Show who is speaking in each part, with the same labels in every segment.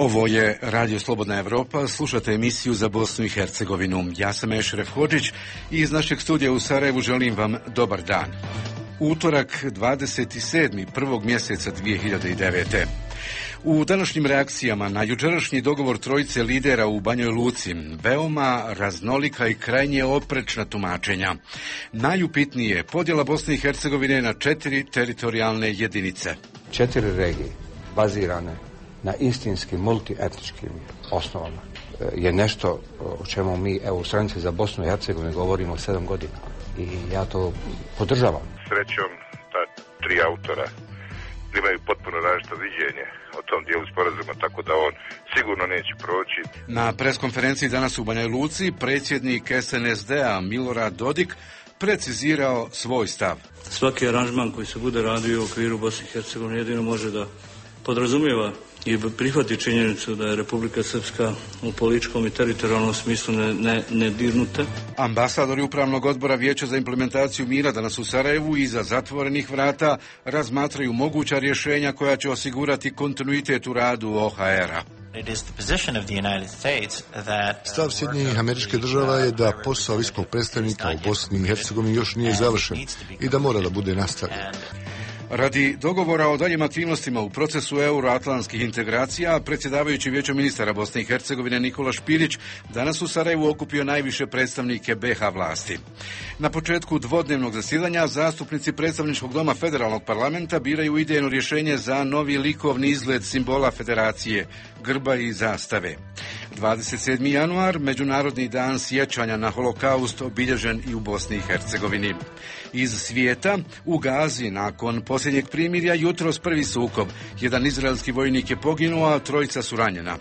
Speaker 1: Ovo je Radio Slobodna Evropa, slušate emisiju za Bosnu i Hercegovinu. Ja sam Ešref Hodžić i iz našeg studija u Sarajevu želim vam dobar dan. Utorak 27. prvog mjeseca 2009. U današnjim reakcijama na jučerašnji dogovor trojice lidera u Banjoj Luci, veoma raznolika i krajnje oprečna tumačenja. Najupitnije je podjela Bosne i Hercegovine na 4 teritorijalne jedinice.
Speaker 2: 4 regije bazirane na istinskim multietničkim osnovama je nešto o čemu mi u Stranci za Bosnu i Hercegovinu govorimo 7 godina. I ja to podržavam.
Speaker 3: Srećom, ta 3 autora imaju potpuno različito viđenje o tom dijelu sporazuma, tako da on sigurno neće proći.
Speaker 1: Na preskonferenciji danas u Banjoj Luci predsjednik SNSD-a Milorad Dodik precizirao svoj stav.
Speaker 4: Svaki aranžman koji se bude radio u okviru Bosne i Hercegovine jedino može da podrazumijeva i prihvati činjenicu da je Republika Srpska u političkom i teritorijalnom smislu nedirnuta.
Speaker 1: Ambasadori Upravnog odbora Vijeća za implementaciju mira danas u Sarajevu iza zatvorenih vrata razmatraju moguća rješenja koja će osigurati kontinuitet u radu OHR-a.
Speaker 5: Stav Sjedinjenih Američkih Država je da posao visokog predstavnika u Bosni i Hercegovini još nije završen i da mora da bude nastavljen.
Speaker 1: Radi dogovora o daljim aktivnostima u procesu euroatlantskih integracija, predsjedavajući Vijećem ministara Bosne i Hercegovine Nikola Špilić danas u Sarajevu okupio najviše predstavnike BiH vlasti. Na početku dvodnevnog zasjedanja zastupnici predstavničkog doma federalnog parlamenta biraju idejno rješenje za novi likovni izgled simbola federacije, grba i zastave. 27. januar, Međunarodni dan sjećanja na holokaust, obilježen i u Bosni i Hercegovini. Iz svijeta, u Gazi, nakon posljednjeg primirja, jutros prvi sukob. Jedan izraelski vojnik je poginuo, a 3 su ranjena.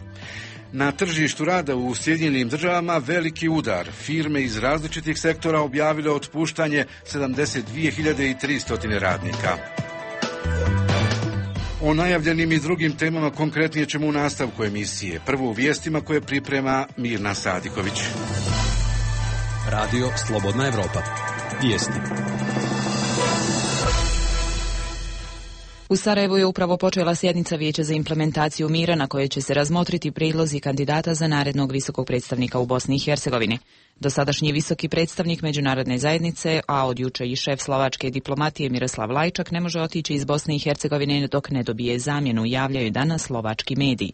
Speaker 1: Na tržištu rada u Sjedinjenim Državama veliki udar. Firme iz različitih sektora objavile otpuštanje 72.300 radnika. O najavljenim i drugim temama konkretnije ćemo u nastavku emisije. Prvo u vijestima koje priprema Mirna Sadiković.
Speaker 6: Radio Slobodna Evropa. Vijesti.
Speaker 7: U Sarajevu je upravo počela sjednica Vijeća za implementaciju mira na kojoj će se razmotriti prijedlozi kandidata za narednog visokog predstavnika u Bosni i Hercegovini. Dosadašnji visoki predstavnik međunarodne zajednice, a od juče i šef slovačke diplomatije Miroslav Lajčak, ne može otići iz Bosne i Hercegovine dok ne dobije zamjenu, javljaju danas slovački mediji.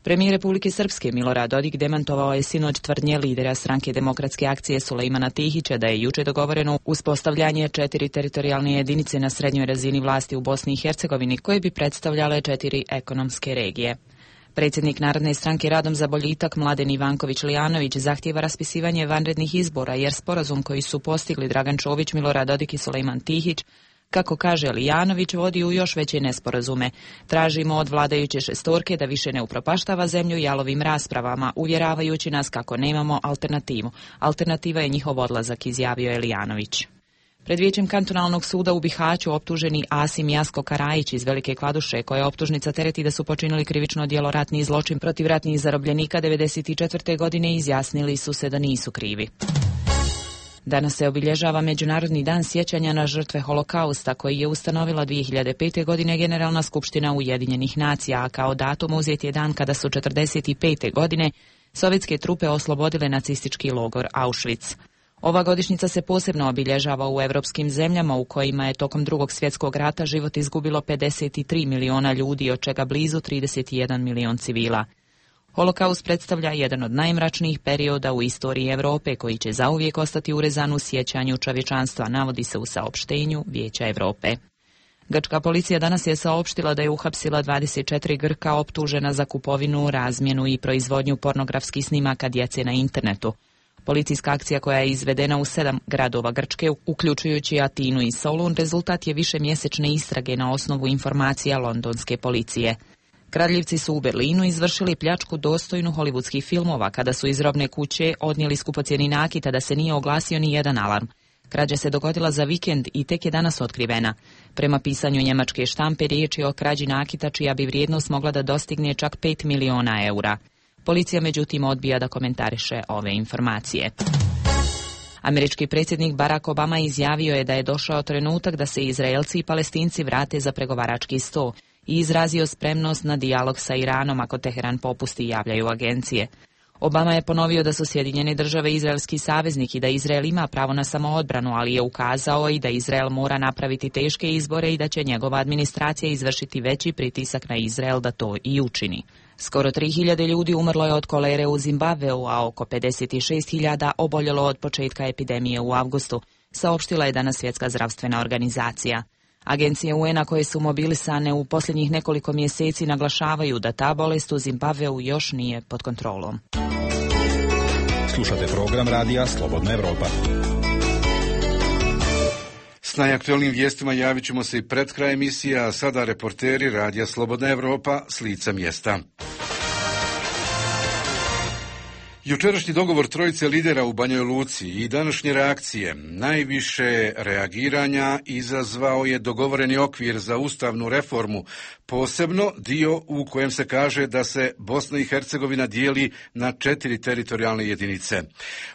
Speaker 7: Premijer Republike Srpske Milorad Dodik demantovao je sinoć tvrdnje lidera stranke Demokratske akcije Sulejmana Tihića da je juče dogovoreno uspostavljanje 4 teritorijalne jedinice na srednjoj razini vlasti u Bosni i Hercegovini koje bi predstavljale 4 ekonomske regije. Predsjednik Narodne stranke Radom za boljitak Mladen Ivanković Lijanović zahtijeva raspisivanje vanrednih izbora jer sporazum koji su postigli Dragan Čović, Milorad Dodik i Sulejman Tihić, kako kaže Lijanović, vodi u još veće nesporazume. Tražimo od vladajuće šestorke da više ne upropaštava zemlju jalovim raspravama, uvjeravajući nas kako nemamo alternativu. Alternativa je njihov odlazak, izjavio je Lijanović. Pred Vijećem kantonalnog suda u Bihaću optuženi Asim Jasko Karajić iz Velike Kladuše, koja optužnica tereti da su počinili krivično djelo ratni zločin protiv ratnih zarobljenika 1994. godine, izjasnili su se da nisu krivi. Danas se obilježava Međunarodni dan sjećanja na žrtve holokausta koji je ustanovila 2005. godine Generalna skupština Ujedinjenih nacija, a kao datum uzet je dan kada su 1945. godine sovjetske trupe oslobodile nacistički logor Auschwitz. Ova godišnjica se posebno obilježava u europskim zemljama u kojima je tokom Drugog svjetskog rata život izgubilo 53 miliona ljudi, od čega blizu 31 milion civila. Holokaust predstavlja jedan od najmračnijih perioda u istoriji Europe koji će zauvijek ostati urezan u sjećanju čovječanstva, navodi se u saopštenju Vijeća Europe. Grčka policija danas je saopštila da je uhapsila 24 Grka optužena za kupovinu, razmjenu i proizvodnju pornografskih snimaka djece na internetu. Policijska akcija koja je izvedena u 7 gradova Grčke, uključujući Atinu i Solun, rezultat je višemjesečne istrage na osnovu informacija londonske policije. Kradljivci su u Berlinu izvršili pljačku dostojnu hollywoodskih filmova kada su iz robne kuće odnijeli skupocjeni nakit, a da se nije oglasio ni jedan alarm. Krađa se dogodila za vikend i tek je danas otkrivena. Prema pisanju njemačke štampe riječ je o krađi nakita čija bi vrijednost mogla da dostigne čak 5 miliona eura. Policija međutim odbija da komentariše ove informacije. Američki predsjednik Barack Obama izjavio je da je došao trenutak da se Izraelci i Palestinci vrate za pregovarački sto. i izrazio spremnost na dijalog sa Iranom ako Teheran popusti, javljaju agencije. Obama je ponovio da su Sjedinjene Države izraelski saveznik i da Izrael ima pravo na samoodbranu, ali je ukazao i da Izrael mora napraviti teške izbore i da će njegova administracija izvršiti veći pritisak na Izrael da to i učini. Skoro 3000 ljudi umrlo je od kolere u Zimbabveu, a oko 56.000 oboljelo od početka epidemije u avgustu, saopštila je danas Svjetska zdravstvena organizacija. Agencije UN-a koje su mobilisane u posljednjih nekoliko mjeseci naglašavaju da ta bolest u Zimbabveu još nije pod kontrolom.
Speaker 6: Slušate program radija Slobodna Evropa.
Speaker 1: S najaktualnim vijestima javit ćemo se i pred kraj emisije, a sada reporteri radija Slobodna Evropa s lica mjesta. Jučerašnji dogovor trojice lidera u Banjoj Luci i današnje reakcije, najviše reagiranja izazvao je dogovoreni okvir za ustavnu reformu, posebno dio u kojem se kaže da se Bosna i Hercegovina dijeli na 4 teritorijalne jedinice.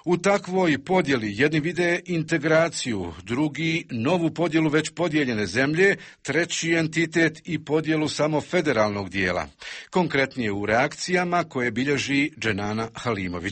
Speaker 1: U takvoj podjeli jedni vide integraciju, drugi novu podjelu već podijeljene zemlje, treći entitet i podjelu samo federalnog dijela. Konkretnije u reakcijama koje bilježi Dženana Halimović.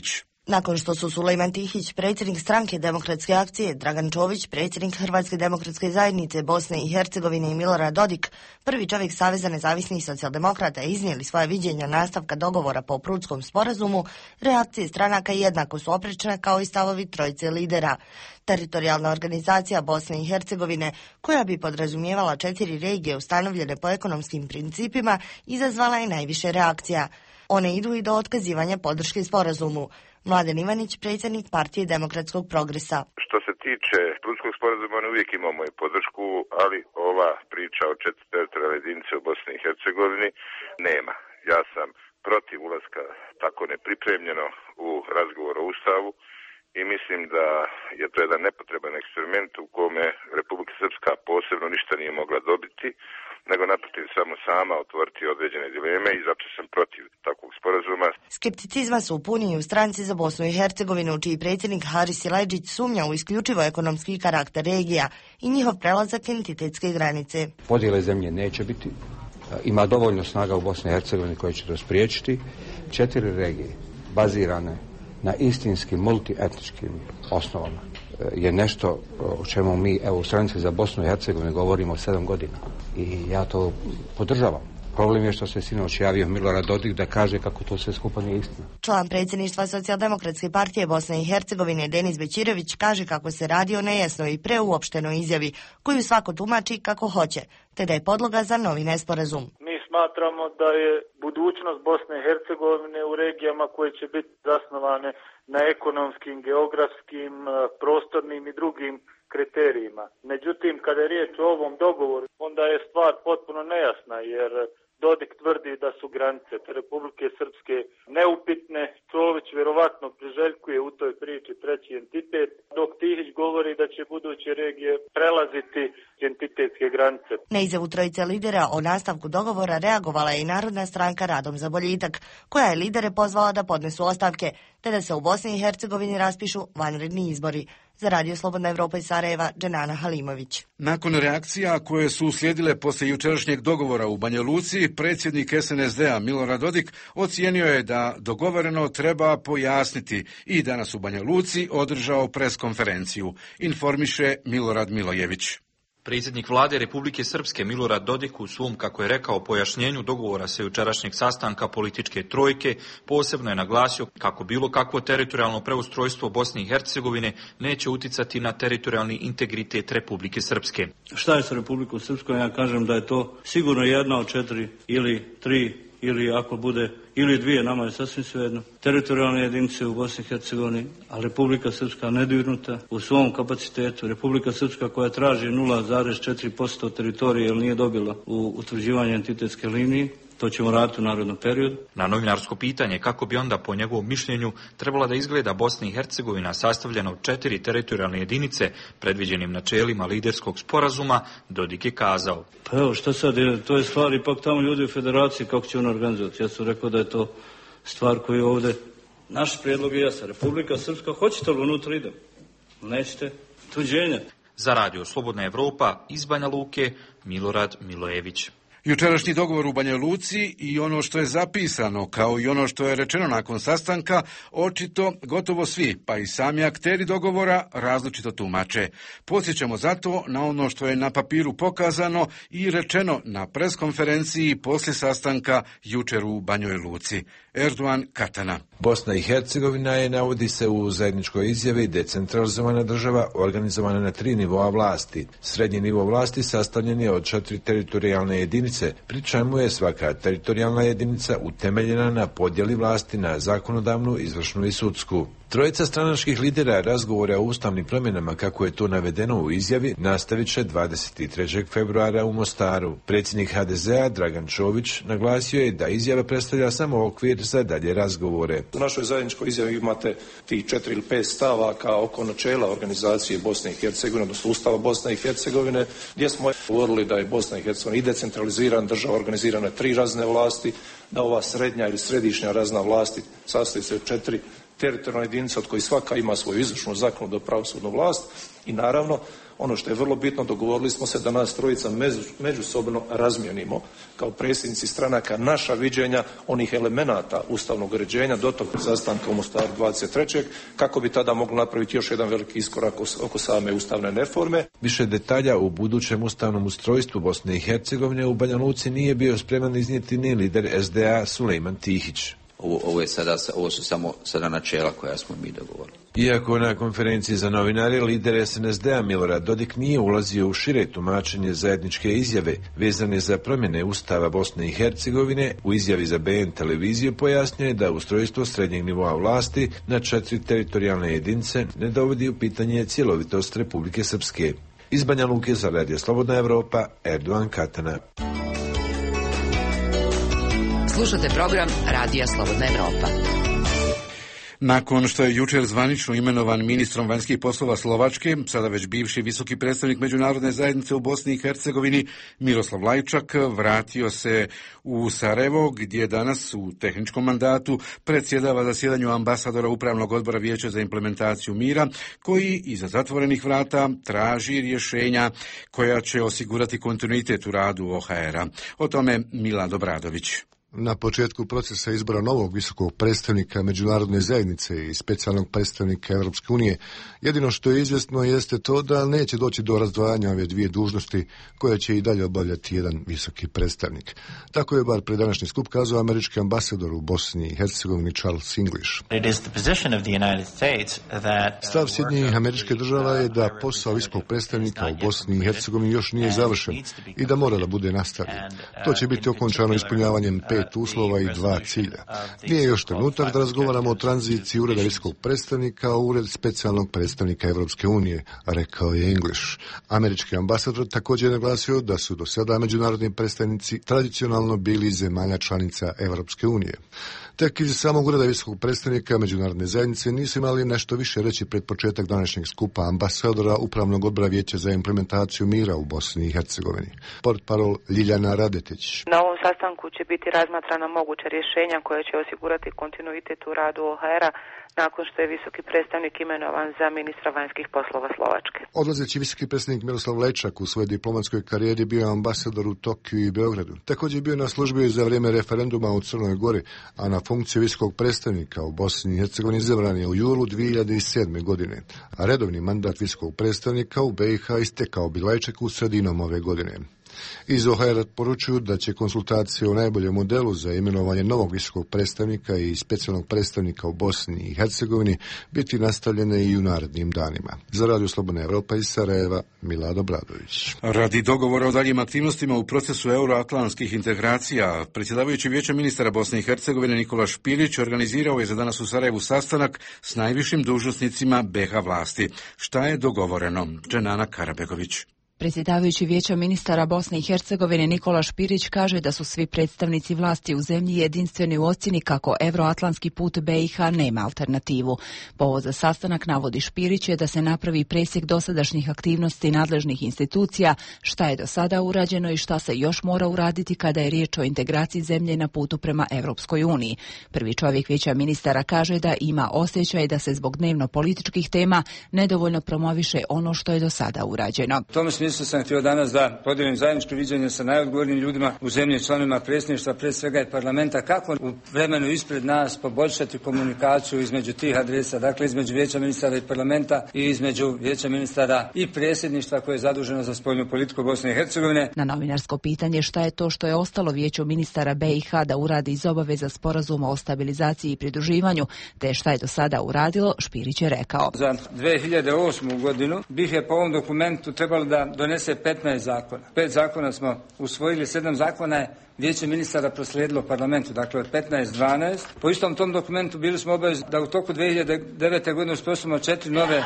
Speaker 8: Nakon što su Sulejman Tihić, predsjednik stranke Demokratske akcije, Dragan Čović, predsjednik Hrvatske demokratske zajednice Bosne i Hercegovine i Milorad Dodik, prvi čovjek Saveza nezavisnih socijaldemokrata, iznijeli svoje viđenja nastavka dogovora po Prutskom sporazumu, reakcije stranaka jednako su oprečne kao i stavovi trojice lidera. Teritorijalna organizacija Bosne i Hercegovine, koja bi podrazumijevala 4 regije ustanovljene po ekonomskim principima, izazvala je najviše reakcija. One idu i do otkazivanja podrške sporazumu. Mladen Ivanić, predsjednik Partije demokratskog progresa.
Speaker 3: Što se tiče Prutskog sporazuma, on uvijek imao moju podršku, ali ova priča o 4 teritorijalne jedinice u Bosni i Hercegovini nema. Ja sam protiv ulaska tako nepripremljeno u razgovor o Ustavu i mislim da je to jedan nepotreban eksperiment u kome Republika Srpska posebno ništa nije mogla dobiti, nego naprotiv samo sama otvoriti određene dileme i zato sam protiv takvog sporazuma.
Speaker 8: Skepticizma su puni i u stranci za Bosnu i Hercegovinu, čiji predsjednik Haris Silajdžić sumnja u isključivo ekonomski karakter regija i njihov prelazak entitetske granice.
Speaker 2: Podjele zemlje neće biti. Ima dovoljno snaga u Bosni i Hercegovini koje će to spriječiti. 4 regije bazirane na istinskim multietničkim osnovama je nešto o čemu mi u Stranci za Bosnu i Hercegovinu govorimo 7 godina. I ja to podržavam. Problem je što se sinoć javio Milorad Dodik da kaže kako to sve skupa nije istina.
Speaker 8: Član predsjedništva Socijaldemokratske partije Bosne i Hercegovine Denis Bećirević kaže kako se radi o nejasnoj i preuopštenoj izjavi koju svako tumači kako hoće, te da je podloga za novi nesporazum.
Speaker 9: Mi smatramo da je budućnost Bosne i Hercegovine u regijama koje će biti zasnovane na ekonomskim, geografskim, prostornim i drugim kriterijima. Međutim, kada je riječ o ovom dogovoru, onda je stvar potpuno nejasna, jer Dodik tvrdi da su granice Republike Srpske neupitne, Čović vjerovatno priželjkuje u toj priči 3. entitet, dok Tihić govori da će buduće regije prelaziti entitetske granice.
Speaker 8: Na izjavu trojice lidera o nastavku dogovora reagovala je i Narodna stranka Radom za boljitak, koja je lidere pozvala da podnesu ostavke, te da se u Bosni i Hercegovini raspišu vanredni izbori. Za Radio Slobodna Evropa iz Sarajeva, Dženana Halimović.
Speaker 1: Nakon reakcija koje su uslijedile poslije jučerašnjeg dogovora u Banja Luci, predsjednik SNSD-a Milorad Dodik ocijenio je da dogovoreno treba pojasniti i danas u Banja Luci održao preskonferenciju, informiše Milorad Milojević.
Speaker 10: Predsjednik vlade Republike Srpske Milorad Dodik u svom, kako je rekao, pojašnjenju dogovora sa jučerašnjeg sastanka političke trojke posebno je naglasio kako bilo kakvo teritorijalno preustrojstvo Bosne i Hercegovine neće uticati na teritorijalni integritet Republike Srpske.
Speaker 4: Šta je sa Republikom Srpskom? Ja kažem da je to sigurno jedna od 4 ili 3 ili ako bude ili 2, nama je sasvim svejedno, teritorijalne jedinice u Bosni i Hercegovini, a Republika Srpska nedirnuta u svom kapacitetu. Republika Srpska koja traži 0,4% teritorije jer nije dobila u utvrđivanje entitetske linije, to ćemo raditi u narednom periodu.
Speaker 10: Na novinarsko pitanje kako bi onda po njegovom mišljenju trebala da izgleda Bosna i Hercegovina sastavljena od 4 teritorijalne jedinice predviđenim načelima liderskog sporazuma, Dodik je kazao.
Speaker 4: Pa evo šta sad, to je stvar ipak tamo ljudi u federaciji kako će on organizovati. Ja sam rekao da je to stvar koju je ovdje. Naš prijedlog je jasan. Republika Srpska, hoćete li unutra idem? Nećete? Tuđenja.
Speaker 10: Za Radio Slobodna Evropa iz Banja Luke, Milorad Milojević.
Speaker 1: Jučerašnji dogovor u Banja Luci i ono što je zapisano, kao i ono što je rečeno nakon sastanka, očito gotovo svi, pa i sami akteri dogovora, različito tumače. Podsjećamo zato na ono što je na papiru pokazano i rečeno na preskonferenciji poslije sastanka jučer u Banjoj Luci. Erdogan Katana.
Speaker 11: Bosna i Hercegovina je, navodi se u zajedničkoj izjavi, decentralizovana država organizovana na 3 nivoa vlasti. Srednji nivo vlasti sastavljen je od 4 teritorijalne jedinice, pri čemu je svaka teritorijalna jedinica utemeljena na podjeli vlasti na zakonodavnu, izvršnu i sudsku. Trojica stranačkih lidera razgovora o ustavnim promjenama, kako je to navedeno u izjavi, nastavit će 23. februara u Mostaru. Predsjednik HDZ-a Dragan Čović naglasio je da izjava predstavlja samo okvir za dalje razgovore.
Speaker 12: U našoj zajedničkoj izjavi imate tih 4 ili 5 stavaka oko načela organizacije Bosne i Hercegovine, odnosno Ustava Bosne i Hercegovine, gdje smo govorili da je Bosna i Hercegovina i decentralizirana država, organizirana 3 razine vlasti, da ova srednja ili središnja razina vlasti sastoji se od 4 teritorijalna jedinica od kojih svaka ima svoju izvršnu, zakonodavnu, pravosudnu vlast i naravno ono što je vrlo bitno, dogovorili smo se da nas trojica međusobno razmijenimo kao predsjednici stranaka naša viđenja onih elemenata ustavnog uređenja do tog sastanka u Mostaru 23. kako bi tada mogli napraviti još jedan veliki iskorak oko same ustavne reforme.
Speaker 11: Više detalja u budućem ustavnom ustrojstvu Bosne i Hercegovine u Banja Luci nije bio spreman iznijeti ni lider SDA Sulejman Tihić.
Speaker 13: Ovo su samo sada načela koja smo mi dogovorili.
Speaker 11: Iako na konferenciji za novinare lider SNSD-a Milorad Dodik nije ulazio u šire tumačenje zajedničke izjave vezane za promjene Ustava Bosne i Hercegovine, u izjavi za BN televiziju pojasnio je da ustrojstvo srednjeg nivoa vlasti na 4 teritorijalne jedinice ne dovodi u pitanje cjelovitost Republike Srpske. Iz Banja Luke za Radio Slobodna Evropa, Erdogan Katana.
Speaker 7: Slušate program Radija Slobodna Evropa.
Speaker 1: Nakon što je jučer zvanično imenovan ministrom vanjskih poslova Slovačke, sada već bivši visoki predstavnik međunarodne zajednice u Bosni i Hercegovini Miroslav Lajčak vratio se u Sarajevo, gdje danas u tehničkom mandatu predsjedava zasjedanju ambasadora Upravnog odbora Vijeća za implementaciju mira, koji iza zatvorenih vrata traži rješenja koja će osigurati kontinuitet u radu OHR-a. O tome Milad Obradović.
Speaker 5: Na početku procesa izbora novog visokog predstavnika međunarodne zajednice i specijalnog predstavnika Europske unije, jedino što je izvjesno jeste to da neće doći do razdvajanja ove dvije dužnosti koje će i dalje obavljati jedan visoki predstavnik. Tako je bar pred današnji skup kazao američki ambasador u Bosni i Hercegovini Charles English. Stav Sjedinjenih Američke Država je da posao visokog predstavnika u Bosni i Hercegovini još nije završen i da mora da bude nastavljen. To će biti okončano ispunjavanjem 5 uslova i 2 cilja. Nije još trenutak da razgovaramo o tranziciji ureda visokog predstavnika u ured specijalnog predstavnika Evropske unije, rekao je English. Američki ambasador također je naglasio da su do sada međunarodni predstavnici tradicionalno bili zemalja članica Evropske unije. Tek iz samog ureda visokog predstavnika međunarodne zajednice nisu imali nešto više reći pred početak današnjeg skupa ambasadora Upravnog odbora Vijeća za implementaciju mira u Bosni i Hercegovini. Portparol Ljiljana Radetić.
Speaker 14: Na ovom sastanku će biti razmatrana moguća rješenja koja će osigurati kontinuitet u radu OHR-a nakon što je visoki predstavnik imenovan za ministra vanjskih poslova Slovačke.
Speaker 5: Odlazeći visoki predstavnik Miroslav Lajčak u svojoj diplomatskoj karijeri bio ambasador u Tokiju i Beogradu. Također je bio na službi za vrijeme referenduma u Crnoj Gori, a na funkciju visokog predstavnika u Bosni i Hercegovini izabran je u julu 2007. godine. A redovni mandat visokog predstavnika u BiH istekao bi Lajčaku sredinom ove godine. Iz OHR poručuju da će konsultacije o najboljem modelu za imenovanje novog visokog predstavnika i specijalnog predstavnika u Bosni i Hercegovini biti nastavljene i u narednim danima. Za Radio Slobodna Evropa iz Sarajeva, Milad Obradović.
Speaker 1: Radi dogovora o daljim aktivnostima u procesu euroatlantskih integracija, predsjedavajući Vijeća ministara Bosne i Hercegovine Nikola Špilić organizirao je za danas u Sarajevu sastanak s najvišim dužnosnicima BiH vlasti. Šta je dogovoreno? Dženana Karabegović.
Speaker 7: Predsjedavajući Vijeća ministara Bosne i Hercegovine Nikola Špirić kaže da su svi predstavnici vlasti u zemlji jedinstveni u ocjeni kako euroatlantski put BiH nema alternativu. Povod za sastanak, navodi Špirić, je da se napravi presjek dosadašnjih aktivnosti nadležnih institucija, šta je do sada urađeno i šta se još mora uraditi kada je riječ o integraciji zemlje na putu prema Europskoj uniji. Prvi čovjek Vijeća ministara kaže da ima osjećaj da se zbog dnevno političkih tema nedovoljno promoviše ono što je do sada urađeno.
Speaker 15: U tome smislu mislio sam htio danas da podijelim zajedničko viđenje sa najodgovornijim ljudima u zemlji, članovima predsjedništva, prije svega i parlamenta, kako u vremenu ispred nas poboljšati komunikaciju između tih adresa, dakle između Vijeća ministara i parlamenta i između Vijeća ministara i predsjedništva koje je zaduženo za spoljnu politiku Bosne i Hercegovine.
Speaker 16: Na novinarsko pitanje šta je to što je ostalo Vijeću ministara BiH da uradi iz obaveza sporazuma o stabilizaciji i pridruživanju, te šta je do sada uradilo, Špirić je rekao.
Speaker 15: Za 2008. godinu BiH je po ovom dokumentu trebalo da donese 15 zakona. 5 zakona smo usvojili, 7 zakona je Vijeće ministara proslijedilo parlamentu, dakle od 15-12. Po istom tom dokumentu bili smo obavezni da u toku 2009. godine uspostavimo 4 nove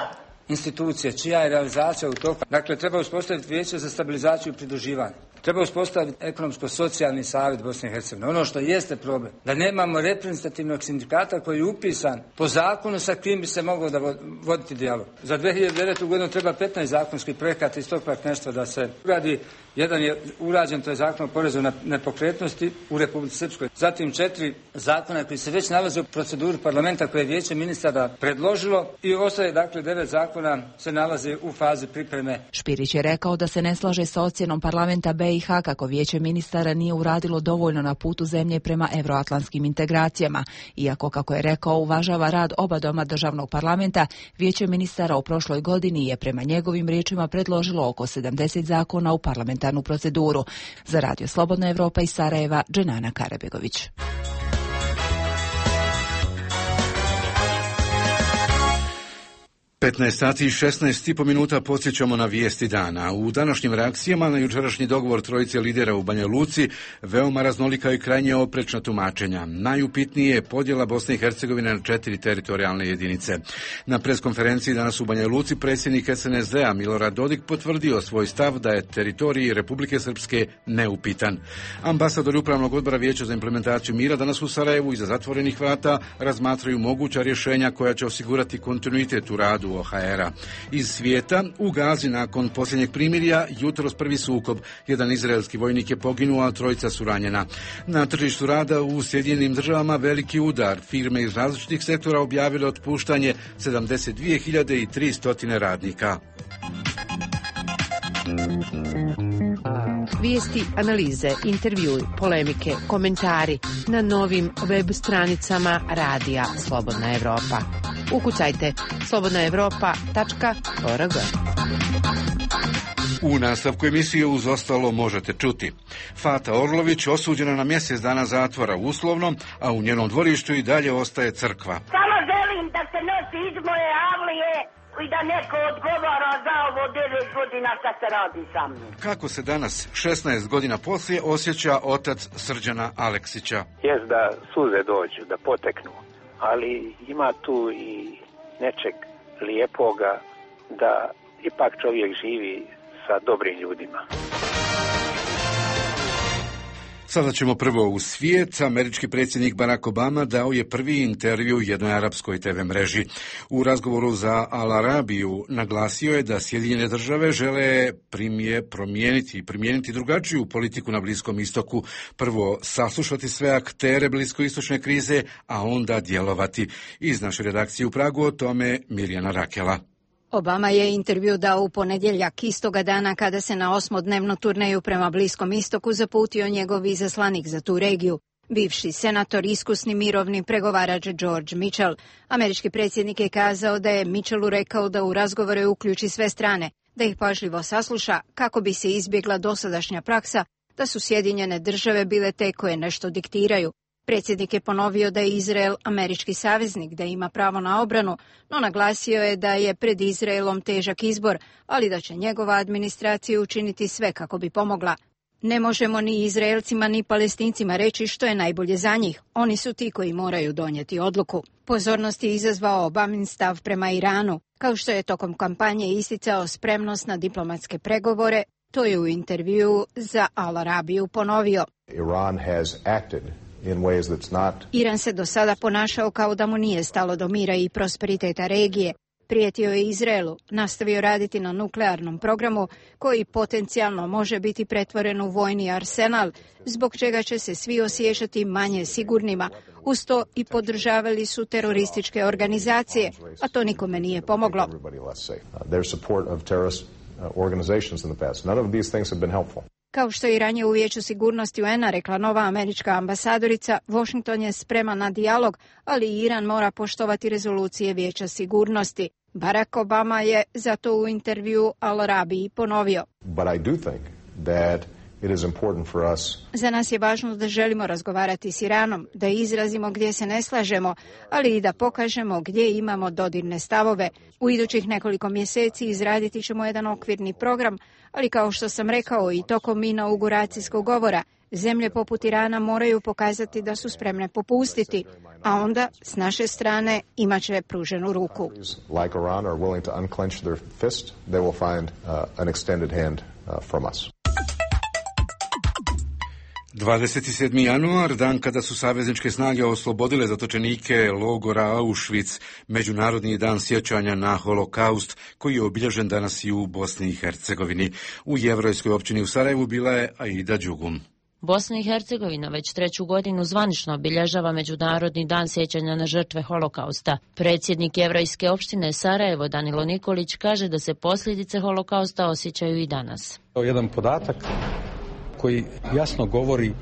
Speaker 15: institucije, čija je realizacija u toku. Dakle, treba uspostaviti Vijeće za stabilizaciju i pridruživanje. Treba uspostaviti ekonomsko-socijalni savjet Bosne i Hercegovine. Ono što jeste problem, da nemamo reprezentativnog sindikata koji je upisan po zakonu sa kim bi se mogao da voditi dijalog. Za 2009. godinu treba 15 zakonskih projekata iz tog partnerstva da se uradi. Jedan je urađen, to je zakon o porezu na nepokretnosti u Republici Srpskoj. Zatim 4 zakona koji se već nalaze u proceduri parlamenta koje je Vijeće ministara predložilo i ostaje, dakle, 9 zakona se nalaze u fazi pripreme.
Speaker 16: Špirić je rekao da se ne slaže sa ocjenom parlamenta BiH kako Vijeće ministara nije uradilo dovoljno na putu zemlje prema evroatlantskim integracijama. Iako, kako je rekao, uvažava rad oba doma državnog parlamenta, Vijeće ministara u prošloj godini je prema njegovim riječima predložilo oko 70 zakona u parlamentarnu proceduru. Za Radio Slobodna Evropa iz Sarajeva, Dženana Karabegović.
Speaker 1: 15 sati i 16,5 minuta podsjećamo na vijesti dana. U današnjim reakcijama na jučerašnji dogovor trojice lidera u Banja Luci veoma raznolika i krajnje oprečna tumačenja. Najupitnije je podjela Bosne i Hercegovine na 4 teritorijalne jedinice. Na preskonferenciji danas u Banja Luci predsjednik SNSD-a Milorad Dodik potvrdio svoj stav da je teritorij Republike Srpske neupitan. Ambasadori Upravnog odbora Vijeća za implementaciju mira danas u Sarajevu iza zatvorenih vrata razmatraju moguća rješenja koja će osigurati kontinuitet u radu OHR-a. Iz svijeta, u Gazi nakon posljednjeg primirja jutros prvi sukob. Jedan izraelski vojnik je poginuo, a trojica su ranjena. Na tržištu rada u Sjedinjenim državama veliki udar. Firme iz različitih sektora objavile otpuštanje 72.300 radnika.
Speaker 17: Vijesti, analize, intervjui, polemike, komentari na novim web stranicama Radija Slobodna Evropa. Ukucajte slobodnaevropa.org.
Speaker 1: U nastavku emisije uz ostalo možete čuti. Fata Orlović osuđena na mjesec dana zatvora uslovno, a u njenom dvorištu i dalje ostaje crkva.
Speaker 18: Samo želim da se nosi iz moje avlije i da neko odgovara za ovo 9 godina što se radi sa mnom.
Speaker 1: Kako se danas, 16 godina poslije, osjeća otac Srđana Aleksića?
Speaker 19: Jest da suze dođu, da poteknu, ali ima tu i nečeg lijepoga da ipak čovjek živi sa dobrim ljudima.
Speaker 1: Sada ćemo prvo u svijet. Američki predsjednik Barack Obama dao je prvi intervju jednoj arapskoj TV mreži. U razgovoru za Al Arabiju naglasio je da Sjedinjene države žele primijeniti drugačiju politiku na Bliskom istoku. Prvo saslušati sve aktere bliskoistočne krize, a onda djelovati. Iz naše redakcije u Pragu o tome Mirjana Rakela.
Speaker 20: Obama je intervju dao u ponedjeljak, istoga dana kada se na 8-dnevnu turneju prema Bliskom istoku zaputio njegov izaslanik za tu regiju, bivši senator, iskusni mirovni pregovarač George Mitchell. Američki predsjednik je kazao da je Mitchellu rekao da u razgovore uključi sve strane, da ih pažljivo sasluša kako bi se izbjegla dosadašnja praksa da su Sjedinjene države bile te koje nešto diktiraju. Predsjednik je ponovio da je Izrael američki saveznik, da ima pravo na obranu, no naglasio je da je pred Izraelom težak izbor, ali da će njegova administracija učiniti sve kako bi pomogla. Ne možemo ni Izraelcima ni Palestincima reći što je najbolje za njih. Oni su ti koji moraju donijeti odluku. Pozornost je izazvao Obamin stav prema Iranu. Kao što je tokom kampanje isticao spremnost na diplomatske pregovore, to je u intervjuu za Al Arabiju ponovio. Iran se do sada ponašao kao da mu nije stalo do mira i prosperiteta regije. Prijetio je Izraelu, nastavio raditi na nuklearnom programu koji potencijalno može biti pretvoren u vojni arsenal, zbog čega će se svi osjećati manje sigurnima. Uz to i podržavali su terorističke organizacije, a to nikome nije pomoglo.
Speaker 21: organizations in the past. None of these things have been helpful.
Speaker 20: Kao što je i ranije u Vijeću sigurnosti UN-a rekla nova američka ambasadorica, Washington je spreman na dijalog, ali Iran mora poštovati rezolucije Vijeća sigurnosti. Barack Obama je zato u intervju Al Arabiji ponovio.
Speaker 21: But I do think that it is important for us.
Speaker 20: Za nas je važno da želimo razgovarati s Iranom, da izrazimo gdje se ne slažemo, ali i da pokažemo gdje imamo dodirne stavove. U idućih nekoliko mjeseci izraditi ćemo jedan okvirni program, ali kao što sam rekao i tokom inauguracijskog govora, zemlje poput Irana moraju pokazati da su spremne popustiti, a onda s naše strane imat će pruženu ruku.
Speaker 21: Like Iran are willing to unclench their fist, they will find an extended hand from us.
Speaker 1: 27. januar, dan kada su savezničke snage oslobodile zatočenike logora Auschwitz, Međunarodni dan sjećanja na holokaust, koji je obilježen danas i u Bosni i Hercegovini. U jevrejskoj općini u Sarajevu bila je Aida Đugum.
Speaker 22: Bosna i Hercegovina već 3. godinu zvanično obilježava Međunarodni dan sjećanja na žrtve holokausta. Predsjednik jevrejske opštine Sarajevo Danilo Nikolić kaže da se posljedice holokausta osjećaju i danas.
Speaker 23: Jedan podatak koji jasno govori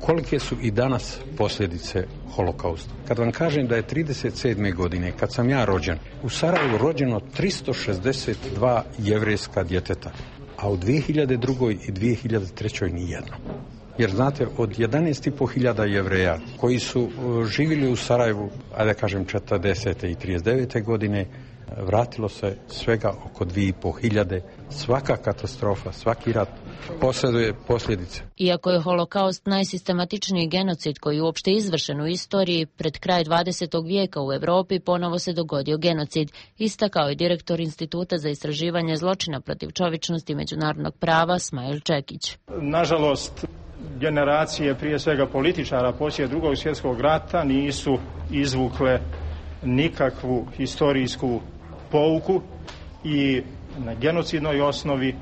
Speaker 23: kolike su i danas posljedice holokausta. Kad vam kažem da je 37. godine, kad sam ja rođen, u Sarajevu rođeno 362 jevrejska djeteta, a u 2002. i 2003. nijedno. Jer znate, od 11.500 jevreja koji su živjeli u Sarajevu, ajde kažem 40. i 39. godine, vratilo se svega oko 2.500. Svaka katastrofa, svaki rat posjeduje posljedice.
Speaker 22: Iako je holokaust najsistematičniji genocid koji je uopšte izvršen u istoriji, pred kraj 20. vijeka u Europi ponovo se dogodio genocid, istakao je direktor Instituta za istraživanje zločina protiv čovječnosti i međunarodnog prava Smajl Čekić.
Speaker 24: Nažalost, generacije prije svega političara poslije Drugog svjetskog rata nisu izvukle nikakvu historijsku pouku i na genocidnoj osnovi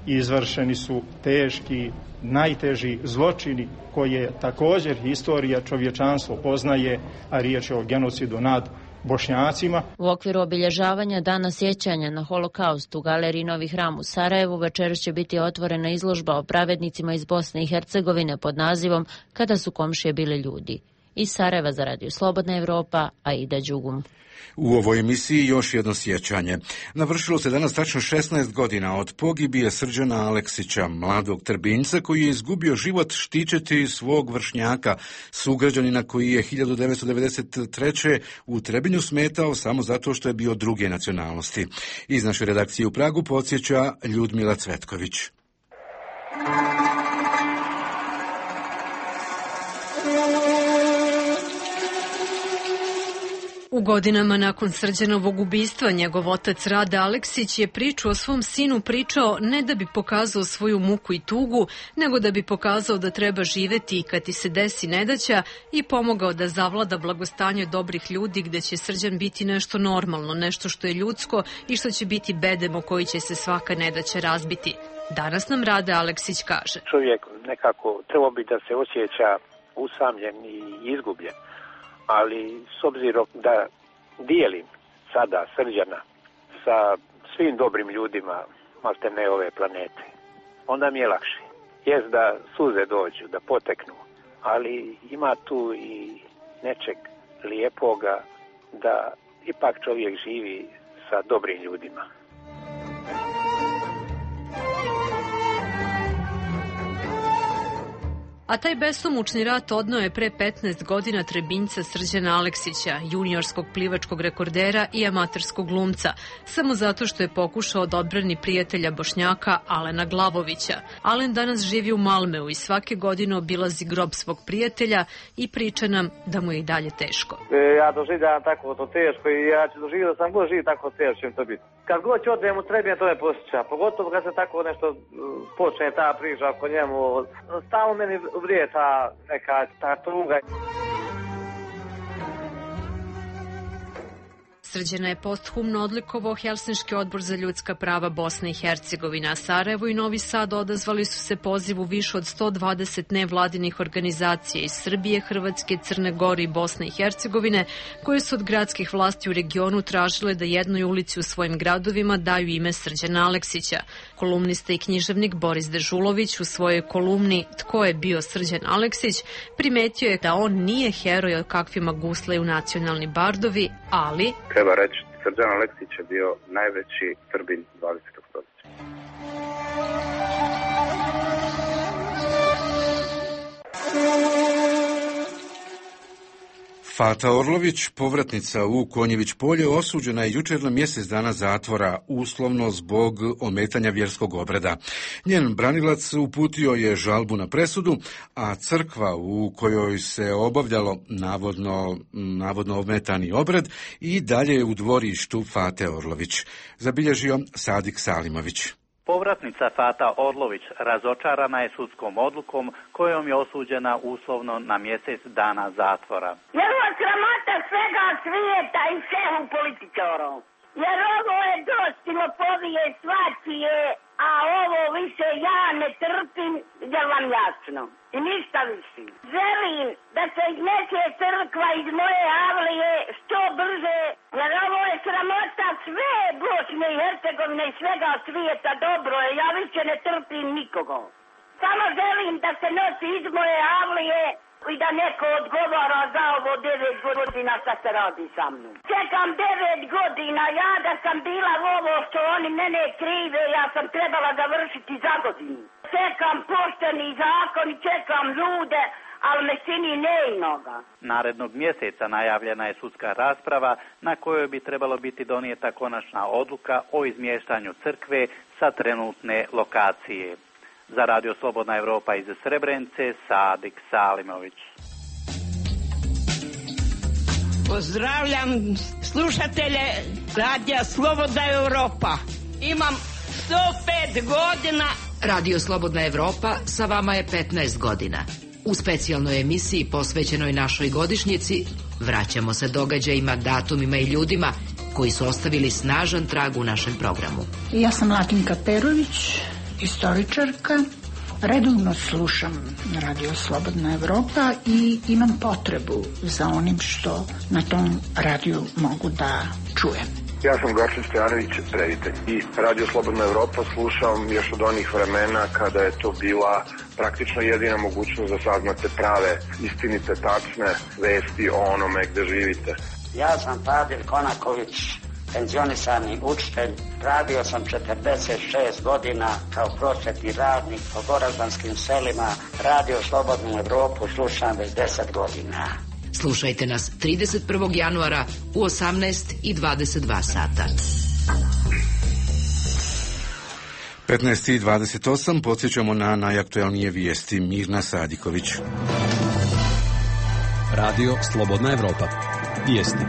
Speaker 24: izvršeni su teški, najteži zločini koje također historija čovječanstvo poznaje, a riječ je o genocidu nad Bošnjacima.
Speaker 22: U okviru obilježavanja Dana sjećanja na holokaust u Galeriji Novi Hram u Sarajevu večeras će biti otvorena izložba o pravednicima iz Bosne i Hercegovine pod nazivom Kada su komšije bile ljudi. Iz Sarajeva za Radio Slobodna Evropa, Aida Đugum.
Speaker 1: U ovoj emisiji još jedno sjećanje. Navršilo se danas tačno 16 godina od pogibije Srđana Aleksića, mladog Trbinjca koji je izgubio život štićeći svog vršnjaka, sugrađanina koji je 1993. u Trebinju smetao samo zato što je bio druge nacionalnosti. Iz naše redakcije u Pragu podsjeća Ljudmila Cvetković.
Speaker 25: U godinama nakon Srđanovog ubistva njegov otac Rade Aleksić je priču o svom sinu pričao ne da bi pokazao svoju muku i tugu, nego da bi pokazao da treba živeti i kad ti se desi nedaća i pomogao da zavlada blagostanje dobrih ljudi gde će Srđan biti nešto normalno, nešto što je ljudsko i što će biti bedem o koji će se svaka nedaća razbiti. Danas nam Rade Aleksić kaže.
Speaker 19: Čovjek nekako trebao bi da se osjeća usamljen i izgubljen. Ali s obzirom da dijelim sada Srđana sa svim dobrim ljudima maltene ove planete, onda mi je lakše. Jest da suze dođu, da poteknu, ali ima tu i nečeg lijepoga da ipak čovjek živi sa dobrim ljudima.
Speaker 25: A taj besomučni rat odneo je pre 15 godina Trebinjca Srđana Aleksića, juniorskog plivačkog rekordera i amaterskog glumca, samo zato što je pokušao da odbrani prijatelja Bošnjaka Alena Glavovića. Alen danas živi u Malmeu i svake godine obilazi grob svog prijatelja i priča nam da mu je i dalje teško.
Speaker 26: Ja doživljavam tako to teško i ja ću doživjeti da sam god živ tako teško će to biti. Kad god ću odem u Trebinje, to me posjeća, pogotovo kad se tako nešto počne ta priča oko njemu, stalno meni vrije ta tuga.
Speaker 25: Srđana je posthumno odlikovao Helsinški odbor za ljudska prava Bosne i Hercegovina. Sarajevo i Novi Sad odazvali su se pozivu više od 120 nevladinih organizacija iz Srbije, Hrvatske, Crne Gore i Bosne i Hercegovine, koje su od gradskih vlasti u regionu tražile da jednoj ulici u svojim gradovima daju ime Srđana Aleksića. Kolumnista i književnik Boris Dežulović u svojoj kolumni Tko je bio Srđan Aleksić primetio je da on nije heroj o kakvima guslaju nacionalni bardovi, ali
Speaker 2: treba reći, Srđan Aleksić je bio najveći Srbin 20. stoljeća.
Speaker 1: Fata Orlović, povratnica u Konjević polje, osuđena je jučer na mjesec dana zatvora, uslovno zbog ometanja vjerskog obreda. Njen branilac uputio je žalbu na presudu, a crkva u kojoj se obavljalo navodno ometani obred i dalje je u dvorištu Fate Orlović, zabilježio Sadik Salimović.
Speaker 3: Povratnica Fata Orlović razočarana je sudskom odlukom kojom je osuđena uslovno na mjesec dana zatvora.
Speaker 18: Jer ovo je sramota svega svijeta i šehu političara. Jer ovo je dostilopovije svačije, a ovo više ja ne trpim, jer vam jasno. I ništa više. Želim da se iznese crkva iz moje avlije što brže, jer ovo je sramota sve Bosne i Hercegovine i svega svijeta. Dobro je, ja više ne trpim nikoga. Samo želim da se nosi iz moje avlije i da neko odgovara za ovo 9 godina što se radi sa mnom. Čekam 9 godina, ja da sam bila ovo što oni mene krive, ja sam trebala završiti za godinu. Čekam pošteni zakon i čekam ljude, ali me čini neinoga.
Speaker 3: Narednog mjeseca najavljena je sudska rasprava na kojoj bi trebalo biti donijeta konačna odluka o izmještanju crkve sa trenutne lokacije. Za Radio Slobodna Evropa iz Srebrenice, Sadik Salimović.
Speaker 4: Pozdravljam slušatelje Radija Slobodna Evropa. Imam 105 godina.
Speaker 6: Radio Slobodna Evropa sa vama je 15 godina. U specijalnoj emisiji posvećenoj našoj godišnjici vraćamo se događajima, datumima i ljudima koji su ostavili snažan trag u našem programu.
Speaker 8: Ja sam Latinka Perović, istoričarka. Redovno slušam Radio Slobodna Evropa i imam potrebu za onim što na tom radiju mogu da čujem.
Speaker 9: Ja sam Gorčin Stojanović, reditelj. I Radio Slobodna Evropa slušam još od onih vremena kada je to bila praktično jedina mogućnost da saznate prave, istinite, tačne vesti o onome gde živite.
Speaker 27: Ja sam Fadil Konaković, penzionisani učitelj. Radio sam 46 godina kao prosvetni radnik po goraždanskim selima. Radio Slobodnu Evropu slušam već 10 godina.
Speaker 6: Slušajte nas 31. januara u 18:22 sata.
Speaker 1: 15:28 podsjećamo na najaktualnije vijesti. Mirna Sadiković.
Speaker 28: Radio Slobodna Evropa. Vijesti.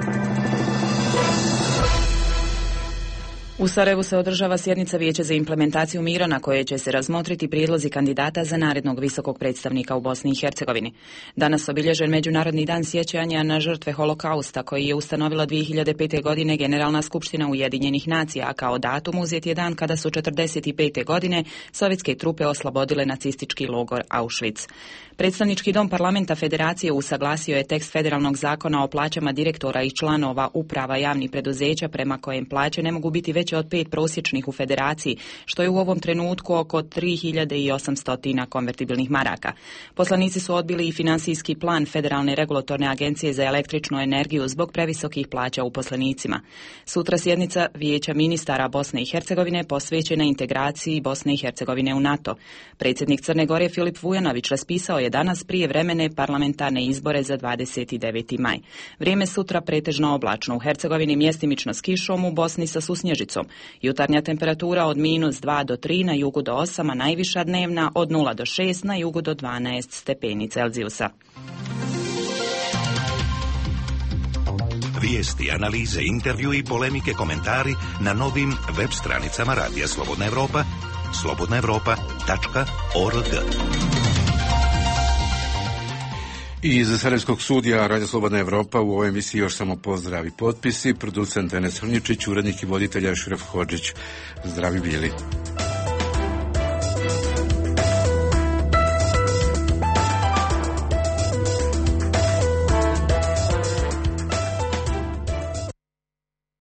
Speaker 7: U Sarajevu se održava sjednica Vijeća za implementaciju mira na kojoj će se razmotriti prijedlozi kandidata za narednog visokog predstavnika u Bosni i Hercegovini. Danas obilježen Međunarodni dan sjećanja na žrtve holokausta koji je ustanovila 2005. godine Generalna skupština Ujedinjenih nacija, a kao datum uzet je dan kada su 45. godine sovjetske trupe oslobodile nacistički logor Auschwitz. Predstavnički dom parlamenta Federacije usaglasio je tekst federalnog zakona o plaćama direktora i članova uprava javnih preduzeća prema kojem plaće ne mogu biti veće od 5 prosječnih u Federaciji, što je u ovom trenutku oko 3800 konvertibilnih maraka. Poslanici su odbili i finansijski plan Federalne regulatorne agencije za električnu energiju zbog previsokih plaća uposlenicima. Sutra sjednica Vijeća ministara Bosne i Hercegovine posvećena integraciji Bosne i Hercegovine u NATO. Predsjednik Crne Gore Filip Vujanović raspisao je danas prijevremene parlamentarne izbore za 29. maj. Vrijeme sutra pretežno oblačno, u Hercegovini mjestimično s kišom, u Bosni sa susnježicom. Jutarnja temperatura od -2 do 3, na jugu do 8, a najviša dnevna od 0 do 6, na jugu do 12 stepeni Celzijusa.
Speaker 29: Vijesti, analize, intervju i polemike, komentari na novim web stranicama Radija Slobodna Evropa, slobodnaevropa.org.
Speaker 1: Iz Sarajevskog studija Radio Slobodna Evropa u ovoj emisiji još samo pozdrav i potpisi. Producent Enes Hrnjičić, urednik i voditelj Ašraf Hodžić. Zdravi bili.